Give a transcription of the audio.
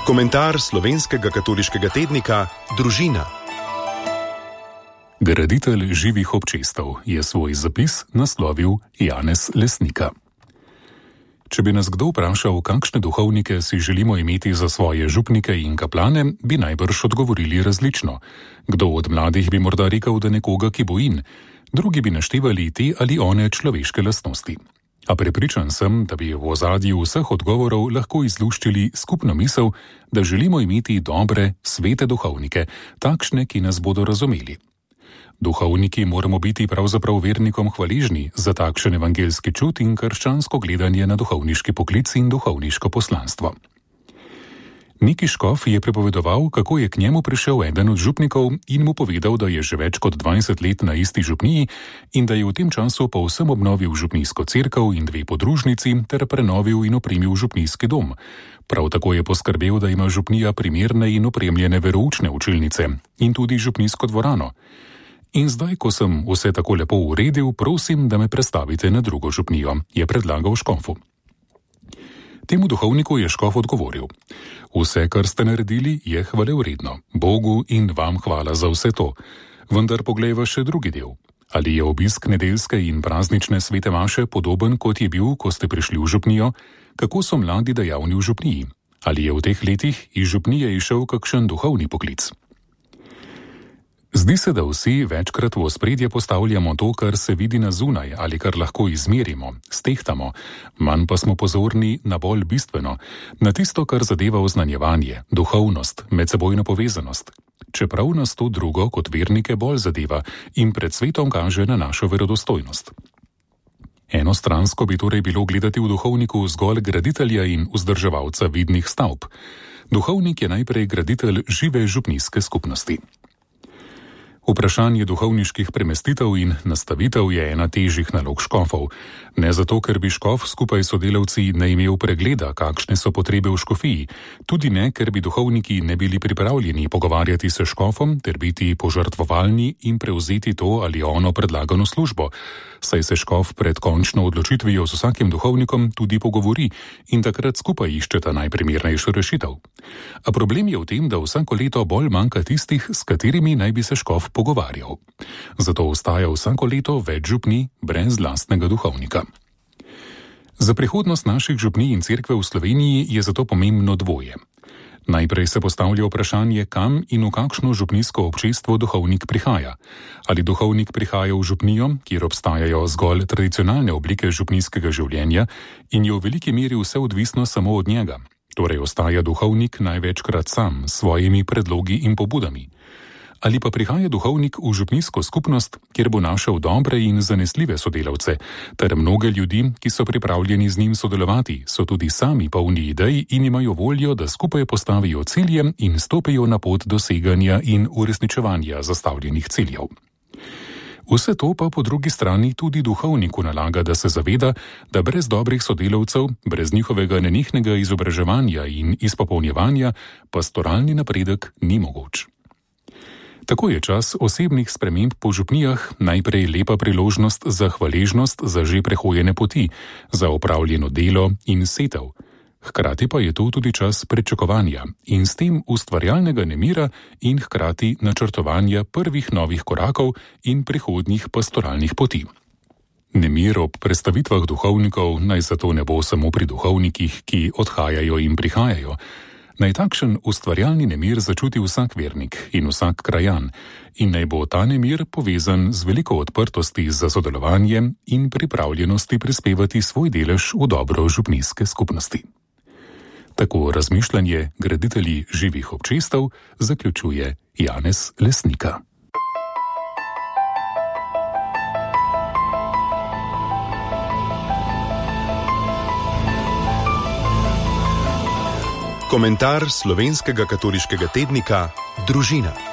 Komentar slovenskega katoliškega tednika Družina. Graditelj živih občestev je svoj zapis naslovil Janez Lesnika. Če bi nas kdo vprašal, kakšne duhovnike si želimo imeti za svoje župnike in kaplane, bi najbrž odgovorili različno. Kdo od mladih bi morda rekel, da nekoga, ki bo in, drugi bi naštevali te ali one človeške lastnosti. A prepričan sem, da bi v ozadju vseh odgovorov lahko izluščili skupno misel, da želimo imeti dobre, svete duhovnike, takšne, ki nas bodo razumeli. Duhovniki moramo biti pravzaprav vernikom hvaležni za takšen evangelski čut in krščansko gledanje na duhovniški poklic in duhovniško poslanstvo. Neki škof je pripovedoval, kako je k njemu prišel eden od župnikov in mu povedal, da je že več kot 20 let na isti župniji in da je v tem času povsem obnovil župnijsko cerkev in 2 podružnici ter prenovil in opremil župnijski dom. Prav tako je poskrbel, da ima župnija primerne in opremljene veroučne učilnice in tudi župnijsko dvorano. In zdaj, ko sem vse tako lepo uredil, prosim, da me prestavite na drugo župnijo, je predlagal škofu. Temu duhovniku je škof odgovoril: vse, kar ste naredili, je hvalevredno. Bogu in vam hvala za vse to. Vendar poglejva še drugi del. Ali je obisk nedeljske in praznične svete maše podoben, kot je bil, ko ste prišli v župnijo? Kako so mladi dejavni v župniji? Ali je v teh letih iz župnije išel kakšen duhovni poklic? Zdi se, da vsi večkrat v ospredje postavljamo to, kar se vidi na zunaj ali kar lahko izmerimo, stehtamo, manj pa smo pozorni na bolj bistveno, na tisto, kar zadeva oznanjevanje, duhovnost, medsebojno povezanost. Čeprav nas to drugo kot vernike bolj zadeva in pred svetom kaže na našo verodostojnost. Enostransko bi torej bilo gledati v duhovniku zgolj graditelja in vzdrževalca vidnih stavb. Duhovnik je najprej graditelj žive župnijske skupnosti. Vprašanje duhovniških premestitev in nastavitev je ena težjih nalog škofov. Ne zato, ker bi škof skupaj s sodelavci ne imel pregleda, kakšne so potrebe v škofiji, tudi ne, ker bi duhovniki ne bili pripravljeni pogovarjati se škofom ter biti požrtvovalni in prevzeti to ali ono predlagano službo, saj se škof pred končno odločitvijo z vsakim duhovnikom tudi pogovori in takrat skupaj iščeta najprimernejšo rešitev. A problem je v tem, da vsako leto bolj manjka tistih, s katerimi naj bi se škof pogovarjal. Zato ostaja vsako leto več župnij brez lastnega duhovnika. Za prihodnost naših župnij in cerkve v Sloveniji je zato pomembno dvoje. Najprej se postavlja vprašanje, kam in v kakšno župnijsko občestvo duhovnik prihaja. Ali duhovnik prihaja v župnijo, kjer obstajajo zgolj tradicionalne oblike župnijskega življenja in je v veliki meri vse odvisno samo od njega. Torej ostaja duhovnik največkrat sam s svojimi predlogi in pobudami. Ali pa prihaja duhovnik v župnijsko skupnost, kjer bo našel dobre in zanesljive sodelavce, ter mnoge ljudi, ki so pripravljeni z njim sodelovati, so tudi sami polni idej in imajo voljo, da skupaj postavijo cilje in stopijo na pot doseganja in uresničevanja zastavljenih ciljev. Vse to pa po drugi strani tudi duhovniku nalaga, da se zaveda, da brez dobrih sodelavcev, brez njihovega nenehnega izobraževanja in izpopolnjevanja, pastoralni napredek ni mogoč. Tako je čas osebnih sprememb po župnijah najprej lepa priložnost za hvaležnost za že prehojene poti, za opravljeno delo in setev. Hkrati pa je to tudi čas pričakovanja in s tem ustvarjalnega nemira in hkrati načrtovanja prvih novih korakov in prihodnjih pastoralnih poti. Nemir ob prestavitvah duhovnikov naj zato ne bo samo pri duhovnikih, ki odhajajo in prihajajo. Naj takšen ustvarjalni nemir začuti vsak vernik in vsak krajan in naj bo ta nemir povezan z veliko odprtosti za sodelovanje in pripravljenosti prispevati svoj delež v dobro župnijske skupnosti. Tako razmišljanje graditelji živih občestev zaključuje Janez Lesnika. Komentar slovenskega katoliškega tednika Družina.